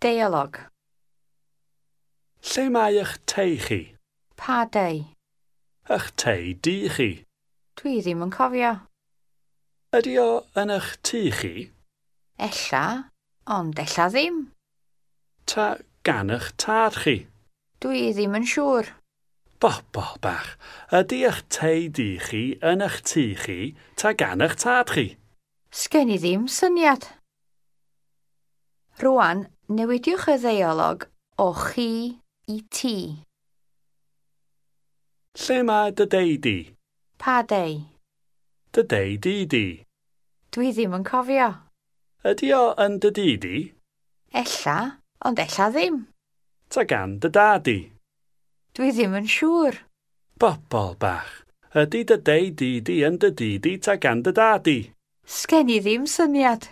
Deialog. Lle mae eich tei chi? Pa dei? Eich tei di chi? Dwi ddim yn cofio. Ydy o yn eich tŷ chi? Ella, ond ella ddim. Ta gan eich tad chi? Dwi ddim yn siŵr. Bobol bach, ydy eich tei di chi yn eich tŷ chi ta gan eich tad chi? Sgen i ddim syniad. Rwan, newidiwch y ddeialog o chi i ti. Lle mae dy dei di? Pa dei? Dy dei di di? Dwi ddim yn cofio. Ydy o yn dy dŷ di? Ella, ond ella ddim. Ta gan dy dad di? Dwi ddim yn siŵr. Bobol bach, ydy dy dei di di yn dy dŷ di ta gan dy dad di? Sgen i ddim syniad.